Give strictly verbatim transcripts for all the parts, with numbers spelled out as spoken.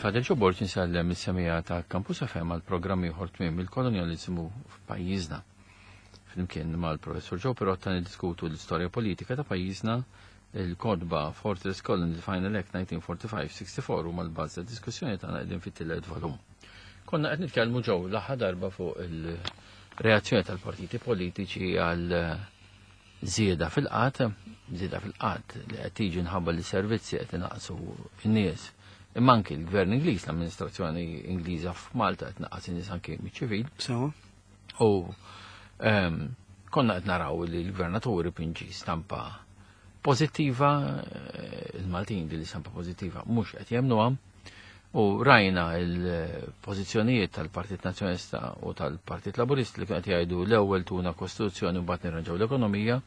Father Joe Borg insellem is-semija ta' Campus F M għal programm ieħor, Tmiem il-Kolonjaliżmu f'pajjiżna. Flimkien mal-Professur Joe Pirotta niddiskutu l-istorja politika ta' pajjiżna. Il-kotba Fortress Colony, The Final Act nineteen forty-five sixty-four u mal-bażi diskussjoni tagħna, qegħdin fit-tielet volum. Konna qed nitkellmu, Joe, l-aħħar darba fuq il-reazzjoni tal-partiti politiċi għal żieda fil-qgħad, żieda fil-qgħad li qed tiġi nħabba li servizzi qed inaqsu n-nies. Imma anki l-Gvern Ingliż, l-amministrazzjoni Ingliża f'Malta qed naqqas in-nies anki miċ-ċivil. So. U ehm, konna qed naraw li l-gvernatur pinġi stampa pożittiva, eh, il-Maltin di li stampa pożittiva mhux qed jemnuha, u rajna il-pożizzjonijiet tal-Partit Nazzjonalista u tal-Partit Laburist li qed jgħidu l-ewwel tuna kostituzzjoni u mbagħad nirranġaw l-ekonomija,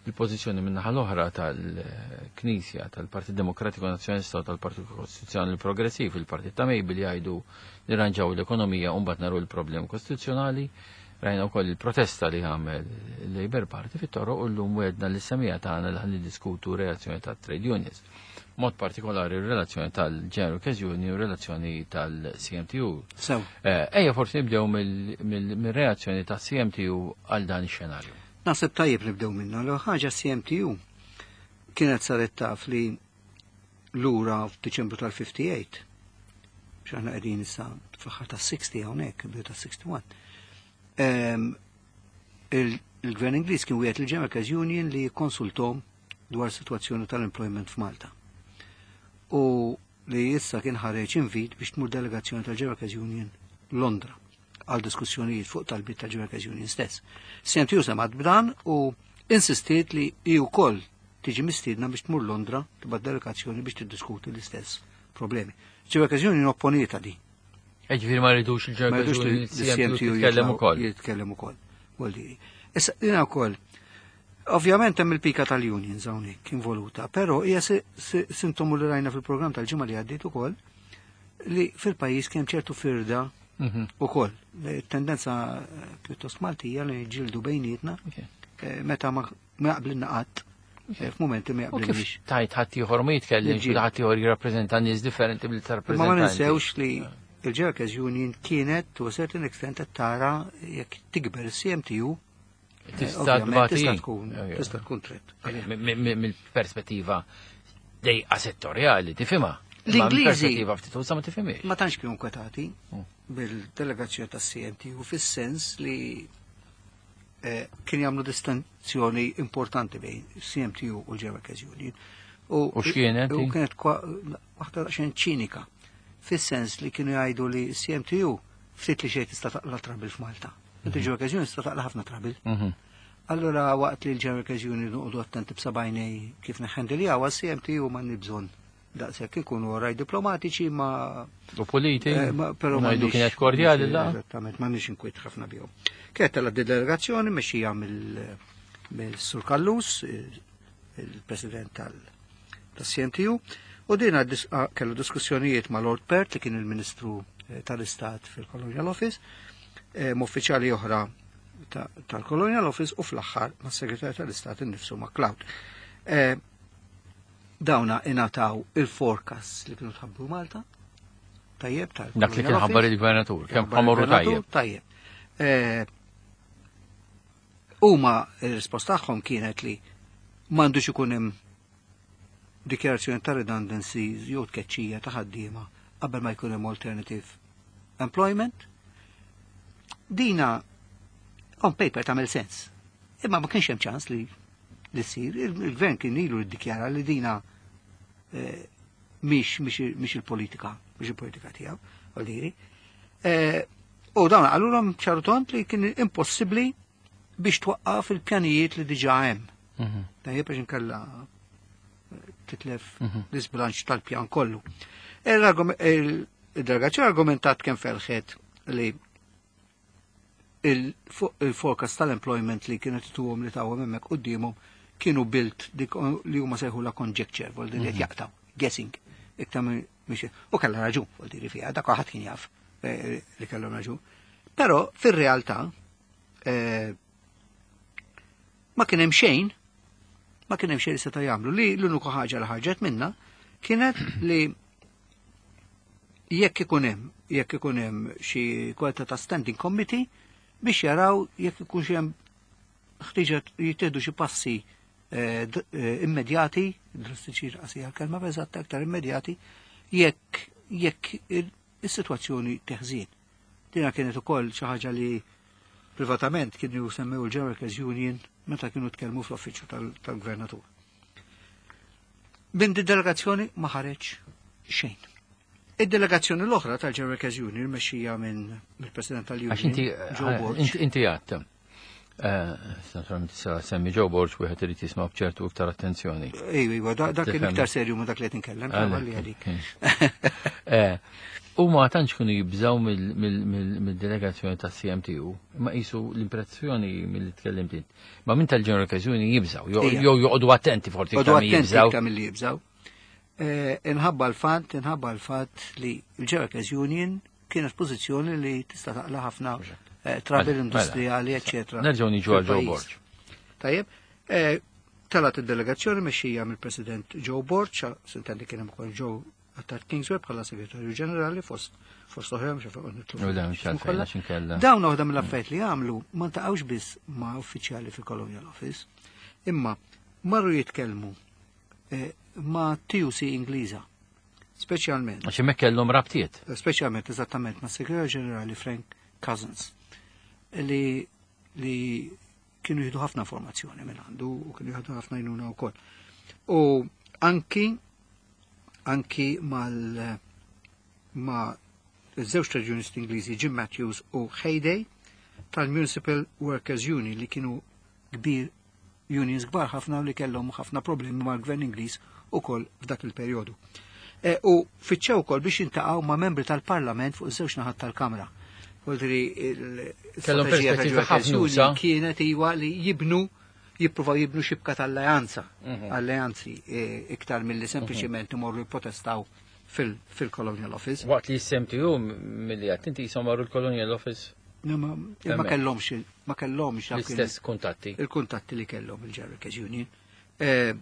il-pożizzjoni min-naħa l-oħra tal-Knisja, tal-Partit Demokratiku Nazzjonalista u tal-Partit Kostituzzjonali Progressiv, il-Partit ta' Mejbil, jgħidu nirranġaw l-ekonomija u mbagħad naru l-problemi kostituzzjonali. Rajna wkoll il-protesta li għamel il-Labour Party fit-toroq u llum wegħedna lis-semmiegħa tagħna li ħa niddiskutu reazzjoni tat-trade unions. Mod partikolari r-relazzjoni tal-General Workers Union u relazzjoni tal-C M T U. So. Eh, ejja forsi nibdew mill-reazzjoni tal-C M T U għal dan ix-xenarju. Naħseb tajjeb nibdew minna. L ħaġa, C M T U kienet saret taf li lura f'Diċembru tal-ħamsa u ħamsin, x'aħna qegħdin issa fl-aħħar tas-sittin hawnhekk, bidu tas-wieħed u sittin. Il-Gvern Ingliż kien wiegħed il-General Workers Union li konsultom dwar situazzjoni tal-employment f'Malta. U li issa kien ħareġ invit biex tmur delegazzjoni tal-General Workers Union Londra għal diskussjonijiet fuq talbiet tal-General Workers Union stess. C M T U semgħet b'dan u insistiet li hi wkoll tiġi mistiedna biex tmur Londra, tibgħat delegazzjoni biex tiddiskuti l-istess problemi. General Workers Union opponieta di. Ġifieri ma rridux Ma il-General jridux li C M T U jitkellem ukoll. Jitkellem ukoll. Vuol dire. Issa jiena wkoll. Ovvjament hemm il-pika tal-unions hawnhekk involuta, però hija sintomu li rajna fil-programm tal-ġimgħa li għaddiet ukoll li fil-pajjiż kien ċertu firda Mhm. ukoll. Tendenza eh, pjuttost Maltija li ġildu bejnietna eh, meta ma ma jaqblilna qatt eh, f'mumenti ma U kif jaqblilniex. tajt ħadd ieħor ma jitkellimx, Niġġieldu. ħadd ieħor jirrappreżenta nies differenti billi Ma ma tarrappreżenta. ninsewx li il-Workers Union kienet to a certain extent qed tara jekk tikber il-C M T U Tista' ovvjament tbati. tista' tkun Ok. tista' tkun threat. Mill-perspettiva dejqa settorjali, tifhimha. L-Ingliżi- Perspettiva ftit usa ma tifhimiex. Ma tantx kienu inkwetati Mm. bil-delegazzjoni tas-C M T U fis-sens li eh, kien jagħmlu distinzjoni importanti bejn C M T U u l-Workers Union. U x'kienet? U kienet kwa- waħda daqsxejn ċinika fis-sens li kienu jgħidu li C M T U ftit li xejn tista' taqla trouble f'Malta. Inti Workers Union tista' taqla ħafna trouble. Mhm. Allora waqt li l-Workers Union noqogħdu attenti b'sebgħajnej kif neħendiljaw, C M T U ma bżonn daqshekk ikunu oraj diplomatiċi ma U politi, Eh, ma- però ngħidu m'għandniex- kienet kordjali la. Eżattament, m'għandniex inkwiet ħafna bihom. Kienet tela delegazzjoni mexxija mill- mill-Sur Callus, il- il-President tal-C M T U, u din dis- ah, kellu diskussjonijiet ma' Lord Perth li kien il-Ministru eh, tal-Istat fil-Colonial Office, eh, ma' uffiċjali oħra ta- tal-Colonial Office u fl-aħħar ma' segretarju tal-Istat innifsu, MacLeod. Eh, Dawna ingħataw il-forecast li kienu tħabbru Malta, tajjeb tal Dak li kien ħabbar il-gvernatur, kemm ħamorru tajjeb. Tajjeb. Eh, Huma il-risposta tagħhom kienet li m'għandux ikun hemm dikjarazzjoni ta' redundancies jew tkeċċija ta' ħaddiema qabel ma jkun hemm alternative employment. Dina on paper tagħmel sens. Imma ma kienx hemm ċans li li ssir. Il-gvern kien ilu ddikjara li dina eh, mhix mhix il-politika, mhix il-politika tiegħu, vuol dire. Eh, U dawn qalulhom ċar u tond li kien impossibbli biex twaqqaf il-pjanijiet li diġà hemm. Mhm. Tajjeb, biex inkella titlef Mhm. l-isbilanċ tal-pjan kollu. Il-delegazzjoni argumentat kemm felħet li il-forecast tal-employment li kienet tuhom li tawhom hemmhekk qudiemhom kienu built dik li huma sejħu la conjecture, vol li qed jaqtaw, guessing, iktar mhix. U kellha raġun, vol dire fiha, dak ħadd kien jaf eh, li kellhom raġun. Però fir-realtà eh, ma kien hemm xejn ma kien hemm xejn li seta' jagħmlu, li l-unika ħaġa li ħarġet minna kienet li Jekk ikun hemm, jekk ikun hemm xi kwalità ta' standing committee biex jaraw jekk ikun xi hemm ħtiġa jittieħdu xi passi eh, d- eh, immedjati, drastiċi qasija l-kelma eżatt aktar immedjati, jekk jekk il- is-sitwazzjoni teħżien. Dina kienet ukoll xi ħaġa li privatament kienu semmew il-General Workers Union meta kienu tkellmu fl-uffiċċju tal- tal-gvernatur. Minn di delegazzjoni ma ħareġ xejn. Id-delegazzjoni l-oħra tal-General Workers Union mexxija minn mill-President tal-Union, Għax inti Joe Borg. inti inti għadt. Eh, Naturalment issa semmi Joe Borg wieħed irid jisma' b'ċertu iktar attenzjoni. Ejwa, ejwa, da- dak kien Tifhem. iktar serju ma dak li qed inkellem, li għalik. Eh, U ma tantx kienu jibżaw mill- mill- mill- mill-delegazzjoni ta' C M T U, ma qisu l-impressjoni mill-li tkellimt int. Ma minn tal-General Workers Union jibżaw, jew Ija. jew joqogħdu attenti forsi Għodu iktar milli attenti jibżaw. iktar milli jibżaw. Eh, Inħabba l-fatt, inħabba l-fatt li l-General Workers Union kienet pożizzjoni li tista' taqla ħafna eh, trouble Mela, industrijali, mela. eccetera. Nerġgħu niġu għal Joe fil-pajjiż. Borg. Tajjeb, eh, talat id-delegazzjoni mexxija mill-President Joe Borg, s'intendi kien hemm ukoll Joe Attard Kingsway bħala segretarju ġenerali fost fost oħra mhux fuq nitlu. U le, mhux għalfejn, għax inkella. Dawn waħda mill-affarijiet li għamlu ma ntaqgħux biss ma' uffiċjali fil-Colonial Office, imma marru jitkellmu eh, ma' T U C Ingliża, speċjalment Għax hemmhekk kellhom rabtiet. Speċjalment eżattament ma' segretarju ġenerali Frank Cousins li li kienu jieħdu ħafna informazzjoni minn għandu u kienu jieħdu ħafna għajnuna wkoll. U anki anki mal ma' żewġ trade unionists Ingliżi, Jim Matthews u Hayday tal-Municipal Workers Union, li kienu kbir unions kbar ħafna u li kellhom ħafna problemi mal-gvern Ingliż ukoll f'dak il-perjodu. E, u fittxew ukoll biex jiltaqgħu ma' membri tal-Parlament fuq iż-żewġ naħat tal-Kamra. Vuoldiri Kellhom il-strateġija perspettiva tal-Workers ħafna Union usa. kienet iwa li jibnu jippruvaw jibnu xibka tal-alleanza, Mhm. alleanzi e, iktar milli sempliċiment imorru jipprotestaw fil- fil-Colonial Office. Waqt li S M T U milli għedt inti jisom marru l-Colonial Office. Ma ma Hemmhekk. kellhomx ma kellhomx dak il- L-istess kuntatti. Il-kuntatti li kellhom il-General Workers Union. Eh,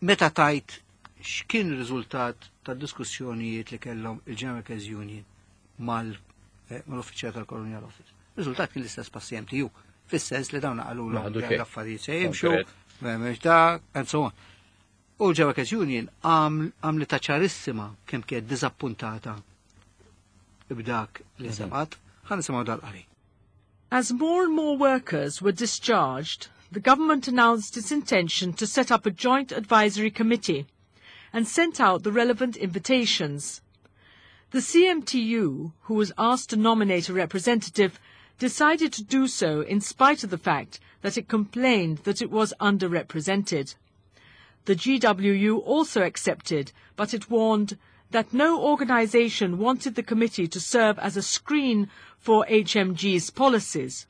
Meta tajt x'kien ir-riżultat tad diskussjonijiet li kellhom il-General Workers Union mal eh, mal-uffiċjal tal-Colonial Office? Ir-riżultat kien l-istess bħas-C M T U, fis-sens li dawn qalu Ma ħadu xejn. l-affarijiet se jimxu, Konkret. m'hemmx dak, and so on. U l-General Workers Union għamlet ċarissima kemm kienet diżappuntata b'dak li semgħet. Ħa nisimgħu dal-qari. As more and more workers were discharged, the government announced its intention to set up a joint advisory committee and sent out the relevant invitations. The C M T U, who was asked to nominate a representative, decided to do so in spite of the fact that it complained that it was underrepresented. The G W U also accepted, but it warned that no organisation wanted the committee to serve as a screen for H M G's policies.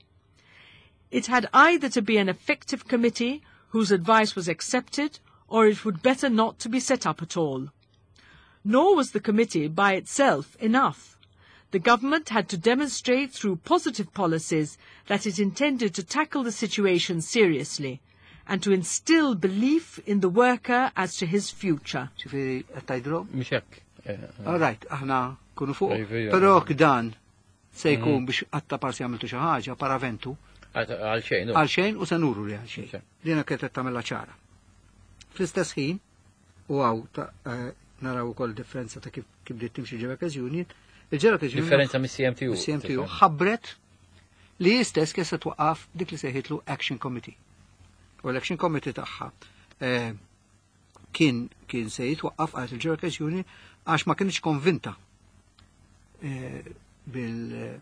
It had either to be an effective committee whose advice was accepted, or it would better not to be set up at all. Nor was the committee by itself enough. The government had to demonstrate through positive policies that it intended to tackle the situation seriously and to instill belief in the worker as to his future. Ġifieri, qed tgħidilhom? Mhux hekk. Eh, All right, aħna kunu fuq. Iva, iva. Però dan se jkun biex għatta parsi għamiltu xi ħaġa paraventu Għal xejn. għal xejn u se nuru li għal xejn. Xejn. Dina kienet qed tagħmilha ċara. Fl-istess ħin, u hawn ta' eh, naraw ukoll differenza ta' kif kif bdiet timxi General Workers Union, il-General Workers Union Differenza mis-C M T U. C M T U ħabbret li jistess kien se twaqqaf dik li sejħitlu Action Committee. U l-Action Committee tagħha eh, kien kien se jitwaqqaf għal il-General Workers Union għax ma kienx konvinta eh, bil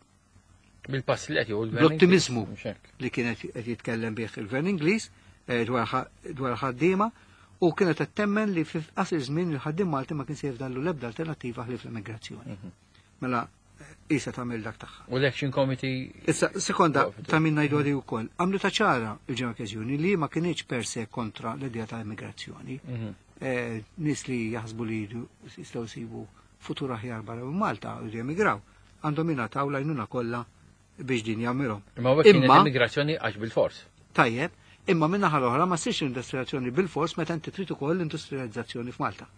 Bil-pass li qed jieħu l-gvern L-ottimizmu Ingliż, mhux hekk. Li kienet qed jitkellem bih il-gvern Ingliż eh, dwar ħa- dwar ħaddiema u kienet qed temmen li fi qasir żmien il-ħaddiem Malti ma kien se jifdallu l-ebda alternattiva ħlief l-immigrazzjoni. Mela eh, isa tagħmel dak tagħha. U l-Action Committee Issa, sekonda, Waqfet. ta' min ngħidu għadi wkoll. Għamlu ta' ċara il-General Workers Union li ma kienx per se kontra l-idea ta' immigrazzjoni. Mhm. Eh, Nies li jaħsbu li jridu jistgħu jsibu futur aħjar barra minn Malta u jemigraw. Għandhom jingħataw l-għajnuna kollha biex din jagħmilhom. Imma hekk kienet Imma, immigrazzjoni għax bil-fors. Tajjeb, imma minnaħa l-oħra ma ssirx industrializzazzjoni bil-fors meta inti trid ukoll l-industrializzazzjoni f'Malta.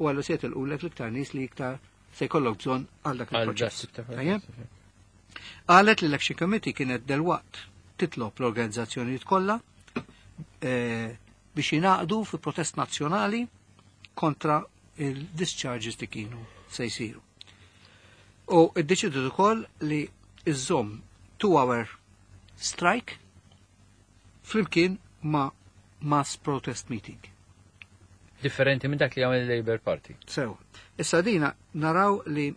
U għallu se jitilqulek l-iktar nies li iktar se jkollok bżonn għal dak Għal il-proċess. dak tip ta' Tajjeb? protest. Qalet li l-Action Committee kienet delwaqt titlob l-organizzazzjonijiet kollha eh, biex jingħaqdu fi protest nazzjonali kontra il-discharges li kienu se jsiru. U iddeċidiet ukoll li iżżomm two-hour strike flimkien ma' mass protest meeting. Differenti minn dak li għamel il-Labour Party. Sew. Issa dina naraw li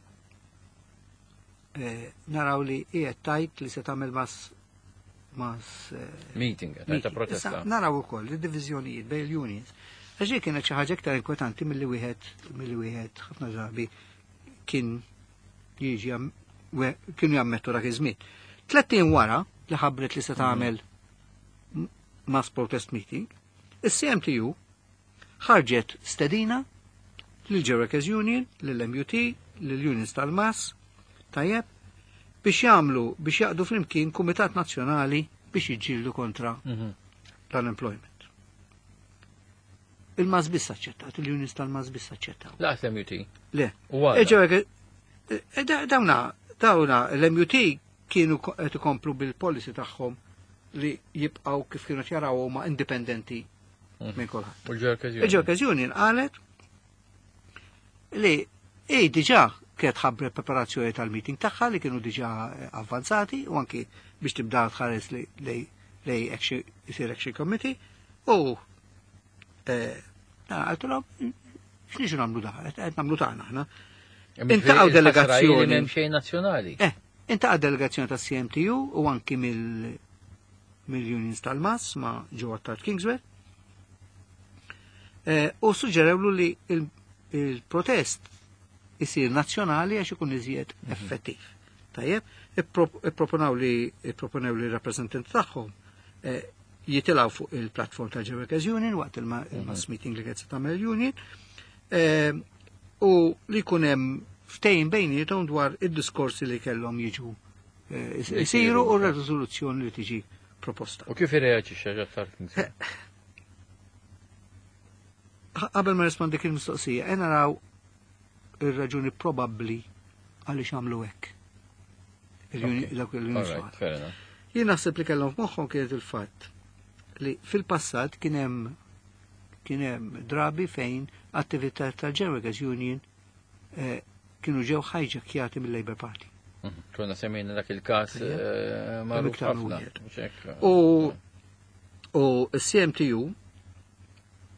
eh, naraw li qiegħed tajt li se tagħmel mass mass eh, Meeting, ta' meeting. protesta. Issa naraw ukoll id-diviżjonijiet bejn il-unions. Għax kienet xi ħaġa iktar inkwetanti milli wieħed milli wieħed ħafna drabi kien jiġi jam- we- kienu jammettu dak iż-żmien. Tlett ijiem wara li ħabbret li se tagħmel m- mass protest meeting, is-C M T U ħarġet stedina lil Workers Union, lill-M U T, lill-Unions tal-M A S, tajjeb, biex jagħmlu biex jaqdu flimkien Kumitat Nazzjonali biex jiġġieldu kontra Mhm. l-unemployment. Il-M A S biss aċċettat, il-unions tal-M A S biss aċċettaw. Lanqas l-M U T. Le. U għala? E ġew e da- dawna, dawna l-M U T kienu ko- qed ikomplu bil-policy tagħhom li jibqgħu kif kienu jaraw huma indipendenti Mhm. minn kulħadd. U l-Workers Union. Il-Workers Union qalet li ej diġà kienet ħabbret preparazzjoni tal-meeting tagħha li kienu diġà eh, avvanzati u anki biex tibda tħares li lej lej action isir action committee u eh, għaltulhom x'niġu nagħmlu da, qed nagħmlu tagħna aħna. Intaqgħu delegazzjoni. M'hemm xejn nazzjonali. Eh, intaqa' delegazzjoni tas C M T U u anki mill mill-unions tal-M A S ma' Joe Attard Kingswear. Eh, u suġġerewlu li il- il-protest isir nazzjonali għax ikun iżjed effettiv. Tajjeb, ipproponaw li ipproponew li rappresentanti tagħhom eh, jitilgħu fuq il-platform ta' Workers Union waqt il-ma- il-mass meeting li qed se tagħmel union eh, u li jkun hemm ftehim bejniethom dwar id-diskorsi li kellhom jiġu eh, isiru u r-riżoluzzjoni li tiġi proposta. U kif irreaġixxa Attard Kingswear? Qabel ma rispondi dik il-mistoqsija, e naraw ir-raġuni probabbli għaliex għamlu hekk. Il-uni- Ok. Dawk il-unions All right, oħra. Fair enough. Jien naħseb li kellhom f'moħħhom kienet il-fatt li fil-passat kien hemm kien hemm drabi fejn attività tal-Workers Union eh, kienu ġew hijackjati mill-Labour Party. Mhm. Konna semmejna dak il-każ Ejja. eh, magħruf Iktar ħafna. wieħed. Mhux hekk? U u s-C M T U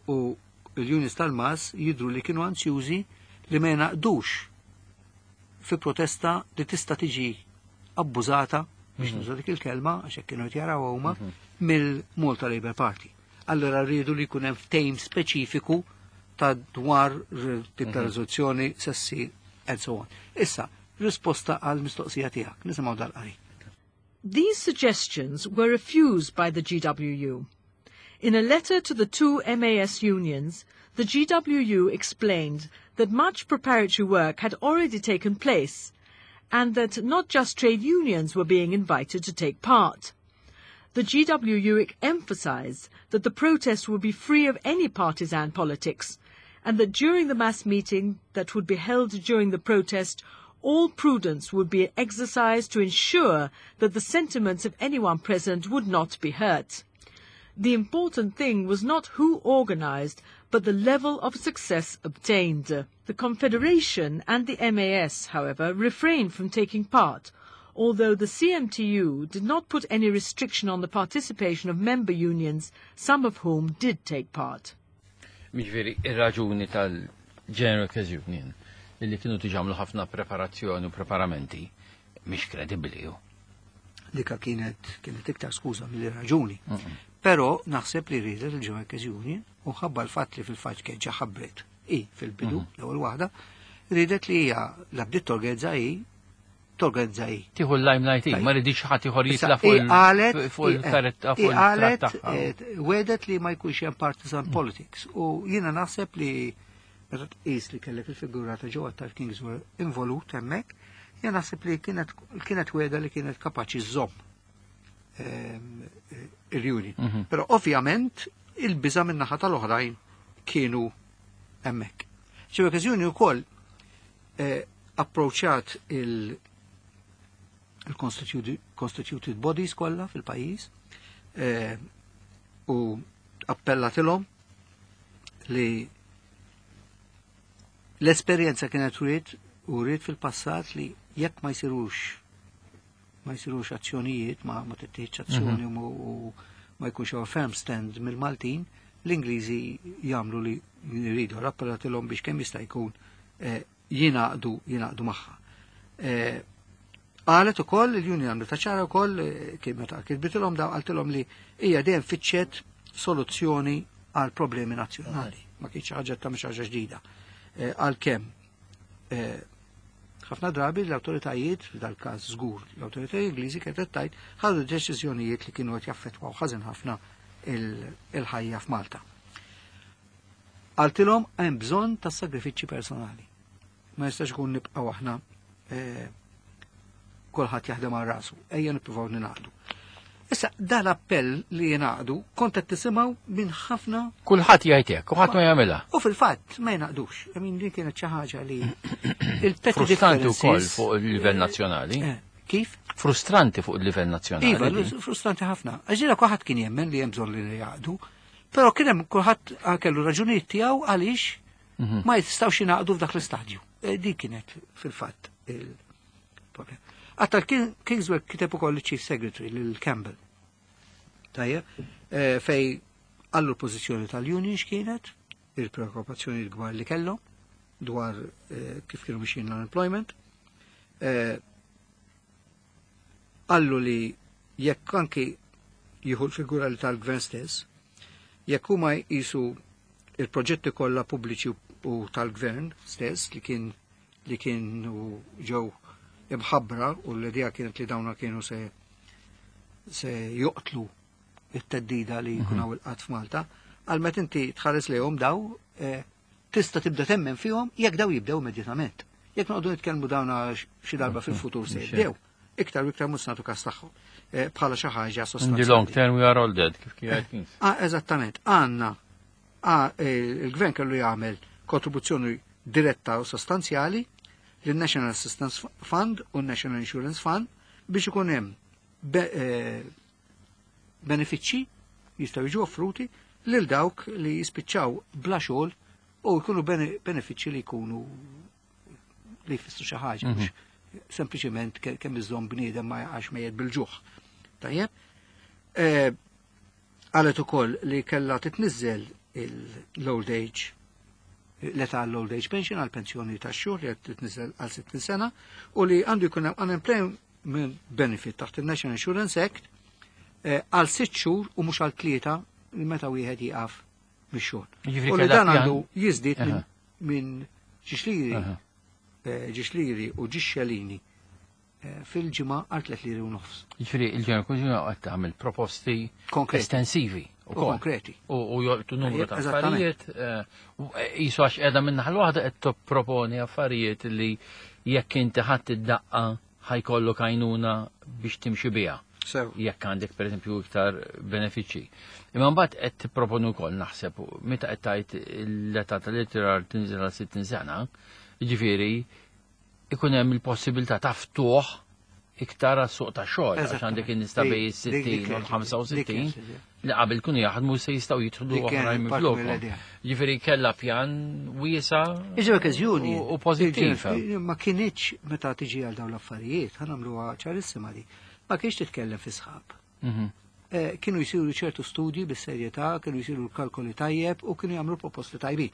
u l-unions tal-M A S jidru li kienu ansjużi li ma jnaqdux fi protesta li tista' tiġi abbużata, biex nuża dik il-kelma, għax hekk kienu qed jaraw huma, mill-Malta Labour Party. Allora rridu li jkun hemm ftehim speċifiku ta' dwar r- tip ta' riżoluzzjoni se ssir and so on. Issa, risposta għal mistoqsija tiegħek, nisimgħu dal-qari. These suggestions were refused by the G W U. In a letter to the two M A S unions, the G W U explained that much preparatory work had already taken place and that not just trade unions were being invited to take part. The G W U emphasized that the protest would be free of any partisan politics and that during the mass meeting that would be held during the protest, all prudence would be exercised to ensure that the sentiments of anyone present would not be hurt. The important thing was not who organized, but the level of success obtained. The Confederation and the M A S, however, refrained from taking part, although the C M T U did not put any restriction on the participation of member unions, some of whom did take part. Jiġifieri, ir-raġuni tal-General Workers Union li kienu diġà għamlu ħafna preparazzjoni u preparamenti mhix kredibbli ju. Dika kienet kienet iktar skuża mill raġuni. Però naħseb li riedet il-Workers Union u ħabba l-fatt li fil-fatt kien ġa ħabbret i fil-bidu l-ewwel waħda, riedet li hija la bdiet torganizza i torganizza i. Tieħu l-limelight, Tajjeb. ma ridix ħadd ieħor Issa, jitla' fuq i qalet il- fuq i- il-karetta i fuq qalet il-tratt tagħha. eh, wedet li ma jkunx hemm partisan politics u jiena naħseb li meta tqis li kellek il-figura ta' Joe Attard Kingswear involut hemmhekk, jiena naħseb li kienet kienet weda li kienet kapaċi żżomm ehm, eh, il-union. Mhm. Però ovvjament il-biża min-naħa tal-oħrajn kienu hemmhekk. Xi okkażjoni wkoll eh, Approċċat il- il-constituted bodies kollha fil-pajjiż eh, u appellatilhom li l-esperjenza kienet uriet uriet fil-passat li jekk ma jsirux ma jsirux azzjonijiet, ma ma tittieħedx azzjoni u, u ma jkunx hawn firm stand mill-Maltin, l-Ingliżi jagħmlu li jridu. Appellatilhom biex kemm jista' jkun eh, jingħaqdu jingħaqdu magħha. Eh, Qalet ukoll il-union għamlu ta' ċara wkoll eh, kien meta kitbitilhom daw qaltilhom li hija dejjem fittxet soluzzjoni għal problemi nazzjonali. Ma kienx ħaġa ta' mhux ħaġa ġdida. Eh, Għalkemm eh, ħafna drabi l-awtoritajiet, f'dal-każ żgur, l-awtoritajiet Ingliżi kienet qed tgħid ħadu deċiżjonijiet li kienu qed jaffettwaw ħażin ħafna il- il-ħajja f'Malta. Qaltilhom hemm bżonn ta' sagrifiċċji personali. Ma jistax ikun nibqgħu aħna eh, kulħadd jaħdem għal rasu, ejja nippruvaw ningħaqdu. Issa dan l-appell li jingħaqdu kont qed tisimgħu minn ħafna Kulħadd jgħid hekk, u ħadd ma jagħmilha. u fil-fatt ma jingħaqdux. I mean, din kienet xi ħaġa li il-petty Frustranti wkoll differences- fuq il-livell nazzjonali. Eh, Kif? Frustranti fuq il-livell nazzjonali. Iva, din. frustranti ħafna. Għax kulħadd kien jemmen li hemm bżonn li jingħaqdu, però kien hemm kulħadd kellu raġunijiet tiegħu għaliex Mhm. ma jistgħux jingħaqdu f'dak l-istadju. Eh, Din kienet fil-fatt il-problem. Għatta Kingswear kiteb ukoll il-Chief Secretary lil Campbell. Tajjeb, eh, fej għallu l-pożizzjoni tal-union x'kienet, il-preokkupazzjoni l-kbar li kellhom dwar eh, kif kienu mixjin l-unemployment. Eh, Għallu li jekk anki jieħu l-figura li tal-gvern stess, jekk huma jqisu il-proġetti kollha pubbliċi u tal-gvern stess li kien li kienu ġew imħabbra u l-idea kienet li dawna kienu se se joqtlu it-theddida li jkun hawn il-qgħad f'Malta, għal meta inti tħares lejhom daw eh, tista' tibda temmen fihom jekk daw jibdew immedjatament. Jekk noqogħdu nitkellmu dawna xi darba fil-futur se jibdew, iktar u iktar mhux nagħtu każ tagħhom eh, bħala xi ħaġa In the sostanzjali. long term we are all dead, kif kien Kings. Ah, eżattament, għanna, ah, eh, il-gvern kellu jagħmel kontribuzzjoni diretta u sostanzjali lil-National Assistance Fund u National Insurance Fund biex ikun hemm be, eh, benefiċċji jistgħu jiġu offruti lil dawk li jispiċċaw bla xogħol u jkunu bene, benefiċċji li jkunu li jfissru xi ħaġa mhux sempliċement ke- kemm iżomm bniedem ma jaqax mejjet bil-ġuħ. Tajjeb? Eh, Qalet ukoll li kellha titniżżel l-old age l-età l-old age pension għal pensjoni tax-xjuħ li qed titniżel għal sittin sena u li għandu jkun hemm unemployment benefit taħt il-National Insurance Act eh, għal sitt xhur u mhux għal tlieta meta wieħed jieqaf mix-xogħol. Jiġifieri U li kellha dan pjan- għandu jiżdied minn Aha. minn żewġ liri Aha. eh, żewġ liri u żewġ xelini eh, fil-ġimgħa għal tliet liri u nofs. Jiġifieri il-General Council qed tagħmel proposti Konkreti. estensivi U ukoll. konkreti. U u jolqtu numru ta' Eżattament. affarijiet, eh, u jisu għax qiegħda minn naħa waħda qed tipproponi affarijiet li jekk inti ħadd id-daqqa ħa jkollok għajnuna biex timxi biha. Sew. Jekk għandek pereżempju iktar benefiċċji. Imma mbagħad qed tipproponu wkoll naħseb meta qed tgħid l-età tal-irtirar tinżel għal sittin sena, jiġifieri ikun hemm il-possibilità ta' ftuħ iktar għas-suq ta' xogħol għax għandek in-nies ta' bejn Dik- dik- is-sittin u dik- l-ħamsa u sittin dik- li qabel kunu jaħdmu se jistgħu jidħlu Dik kienet oħrajn parti minn mill-idea. Jiġifieri kellha pjan wiesa' Iġi okkażjoni. u u pożittiv. Ma kinitx meta tiġi għal dawn l-affarijiet, ħa nagħmluha ċarissima di. Ma kienx titkellem fi sħab. Mhm. Eh, Kienu jisiru ċertu studji bis-serjetà, kienu jisiru kalkoli tajjeb u kienu jagħmlu proposti tajbin.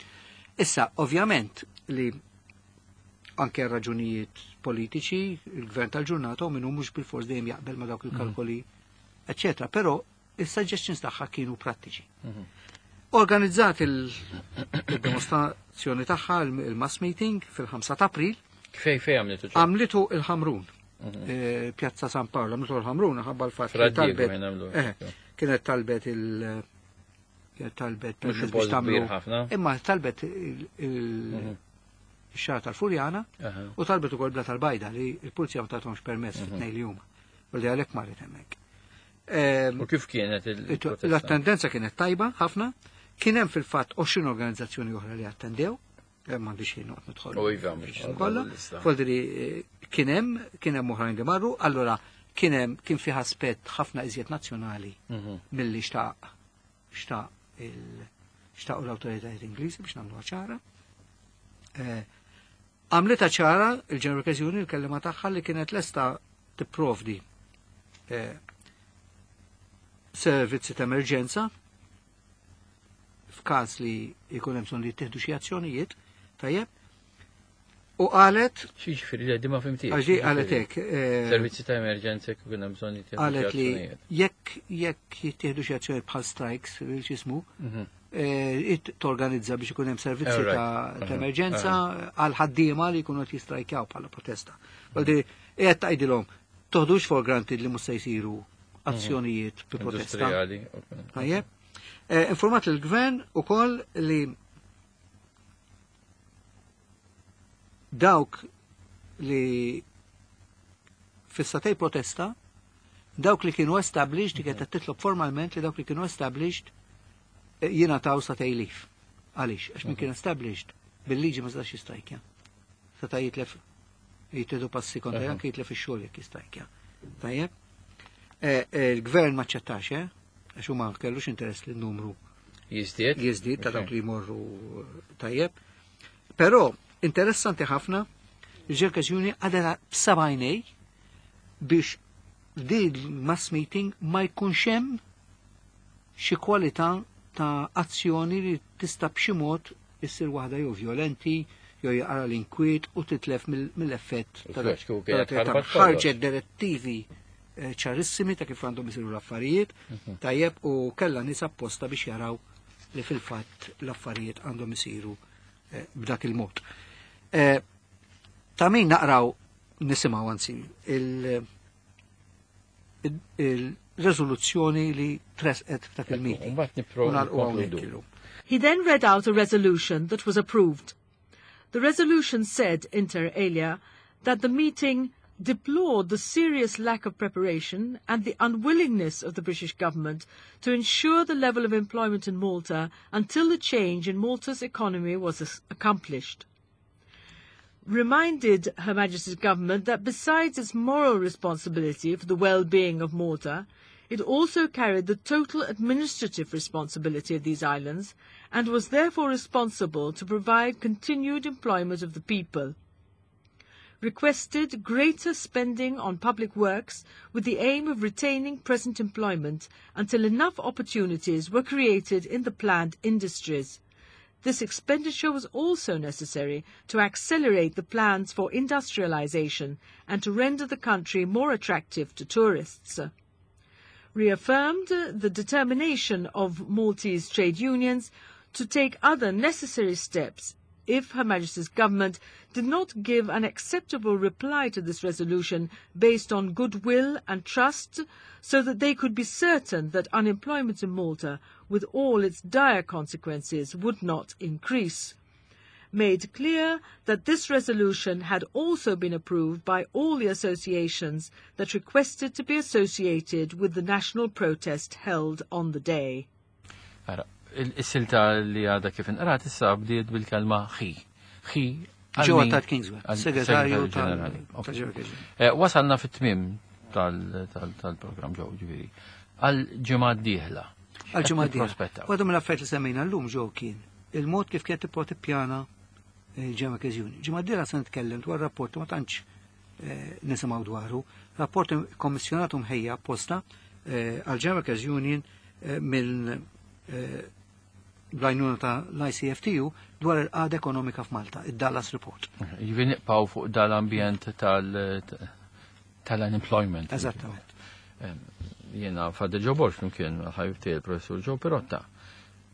Issa, ovvjament li anke raġunijiet politiċi, il-gvern tal-ġurnata u minnu mhux bil-fors dejjem jaqbel ma dawk il-kalkoli, eccetera. Però il-suggestions tagħha kienu prattiċi. Organizzat il-demonstrazzjoni tagħha il-mass meeting fil-ħamsa ta' April, Fej fej għamlitu ċe? għamlitu il-Ħamrun. Eh, Pjazza San Paolo, għamlitu il-Ħamrun, ħabba l-fatt li Fra Diego talbet. fejn għamlu. eh, Kienet talbet il- kienet talbet Mhux permess post biex tagħmlu. kbir ħafna. Imma talbet il- il- ix-xagħra tal-Furjana Aha. u talbet ukoll Blata l-Bajda li l-pulizija ma tathomx permess fit-tnejn li huma. U li għalhekk marret hemmhekk. Ehm, U kif kienet il-protesta? L-attendenza kienet tajba ħafna, kien hemm fil-fatt għoxrin organizzazzjoni oħra li attendew, M'għandix xejn noqgħod nidħol. U iva, mhux kollha. Voldiri kien hemm kien hemm oħrajn li marru, allura kien hemm kien fih aspett ħafna iżjed nazzjonali milli xtaq xtaq il xtaqu l-awtoritajiet Ingliżi biex nagħmluha ċara. Għamlitha ċara il-General Workers Union, il-kellima tagħha, li kienet lesta tipprovdi servizzi ta' emerġenza f'każ li jkun hemm bżonn li jittieħdu xi azzjonijiet, tajjeb. U qalet X'jiġifieri li ma fhimtix. Għax qalet hekk. Servizzi ta' emerġenza jekk ikun hemm bżonn jittieħdu xi Qalet li azzjonijiet. jekk jekk jittieħdu xi azzjonijiet bħal strikes, x'ismu, torganizza biex ikun hemm servizzi Alright. ta' ta' Mhm. emerġenza għal ħaddiema li jkunu qed jistrajkjaw bħala protesta. Voldiri, qiegħed tgħidilhom toħdux for granted li mhux se jsiru azzjonijiet bi protesta. Industrijali. Tajjeb. Eh, Informat il-gvern ukoll li dawk li fis-sagħtejn protesta, dawk li kienu established, li kienet titlob formalment li dawk li kienu established eh, jingħataw sagħtejn leave. Għaliex? Għax min kien established bil-liġi ma setax jistrajkja. Seta' jitlef jittieħdu passi kontra Aha. anke jitlef ix-xogħol jekk jistrajkja. Tajjeb. Eh, eh, Il-gvern ma ċċettax, eh? Għax huma kellux interess li n-numru Jiżdied? jiżdied ta' Ok. dawk li jmorru eh, tajjeb. Però interessanti ħafna il-ġerkażjoni għadha b'sebgħajnej biex din mass meeting ma jkunx hemm xi kwalità ta' azzjoni li tista' b'xi mod issir waħda jew violenti jew jaqra l-inkwiet u titlef mill- mill-effett U ta' flex, kieku ta' kienet ta' ħarbat kollox. ħarġet direttivi eh, ċarissimi ta' kif għandhom isiru l-affarijiet, tajjeb, u kellha nies apposta biex jaraw li fil-fatt l-affarijiet għandhom isiru eh, b'dak il-mod. Eh, Ta' min naqraw nisimgħu anzi il- il- il-rezoluzzjoni li tresqet f'dak il-meeting. U mbagħad nipro- U nagħlqu hawnhekk nkonkludu. illum. He then read out a resolution that was approved. The resolution said, inter alia, that the meeting deplored the serious lack of preparation and the unwillingness of the British government to ensure the level of employment in Malta until the change in Malta's economy was as- accomplished. Reminded Her Majesty's government that besides its moral responsibility for the well-being of Malta, it also carried the total administrative responsibility of these islands and was therefore responsible to provide continued employment of the people. Requested greater spending on public works with the aim of retaining present employment until enough opportunities were created in the planned industries. This expenditure was also necessary to accelerate the plans for industrialization and to render the country more attractive to tourists. Reaffirmed the determination of Maltese trade unions to take other necessary steps if Her Majesty's government did not give an acceptable reply to this resolution based on goodwill and trust, so that they could be certain that unemployment in Malta, with all its dire consequences, would not increase. Made clear that this resolution had also been approved by all the associations that requested to be associated with the national protest held on the day. Ara, il-silta li għadha kif inqrat issa bdiet bil-kelma he. He għal Joe min? Attard Kingswell, Għal segretarju tal- ġenerali. Ok. tal-Ġenerali. Eh, Wasalna fit-tmiem tal-programm ġew ġifieri. Għal ġimgħa d-dieħla. Għal-ġimgħa d-dieħla. Prospettaw. Waħda mill-affarijiet li semmejna llum ġew kien il-mod kif kienet tipprova tippjana il-Ġemma Keżjuni. Ġimgħa d-dieħla se nitkellem dwar rapport ma tantx eh, nisimgħu dwaru, rapport kommissjonat u mħejja apposta eh, għal-Ġemma Union eh, minn eh, bl-għajnuna ta' l-I C F T U dwar il-qagħda ekonomika f'Malta, id-Dallas Report. Jiġifieri nibqgħu fuq dal-ambjent tal- tal-unemployment. Eżattament. Jiena Fadel Joe Borg flimkien ħabib tiegħi il-professur Joe Pirotta.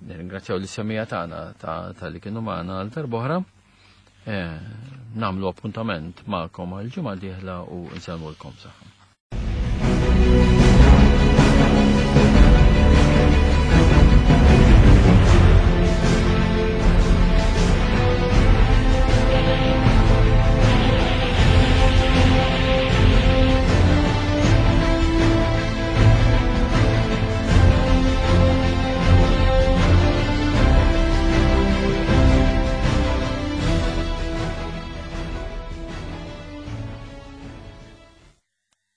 Nirringrazzjaw lis-semmiegħa tagħna ta' ta' li kienu magħna għal darb'oħra. Eh, Nagħmlu appuntament magħkom għal ġimgħa d-dieħla u nsellmulkom saħħa.